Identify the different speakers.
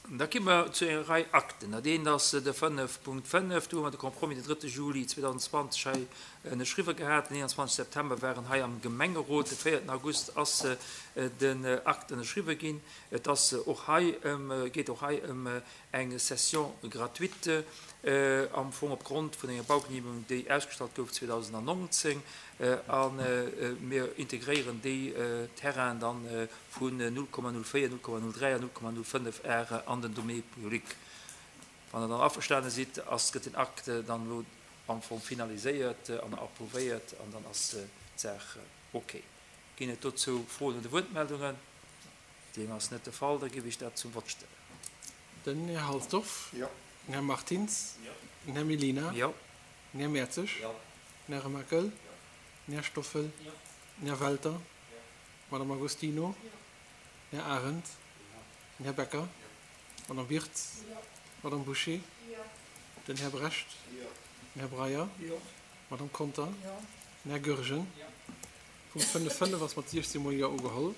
Speaker 1: Da gi mer zu enger Rei Akten. Dat eent ass de 5.5, do hu mer de Compromis den 3. Juli 2020 hei ënnerschriwwe gehat. Den 21 September war en hei am Gemengerot. De 4. August ass den Akt ënnerschriwwe ginn. Et ass och hei ëm, geet och hei ëm eng Cession gratuite am Fong opgrond vun enger Baugenehmegung, déi ausgestallt gouf 2019. A mir integréieren déi Terrainen dann vun 0,04, 0,03 an 0,05 Are an den Domaine public. Wann Der dann averstane sidd, ass, gëtt den Akt dann elo am Fong finaliséiert an approuvéiert an dann ass d'Saach ok. Ginn et dozou Froen oder Wuertmeldungen? Deem ass net de Fall, da géif ech dat zum Vott stellen.
Speaker 2: Den Här Halsdorf. Jo. Den Här Martins. Jo. Den Här Mellina.
Speaker 1: Jo.
Speaker 2: Den Här Mertzig.
Speaker 1: Jo.
Speaker 2: Den Här Remakel. Jo. Den Här Stoffel.
Speaker 1: Jo.
Speaker 2: Den Här Welter. Jo. D'Madame Agostino. Den Här Arendt. Den Här Becker. D'Madame Wirtz. D'Madame Bouché. Den Här Brecht. Den Här Breyer. D'Madame Conter. Den Här Goergen. Punkt 5, 5 ass mat 16 mol Jo ugeholl.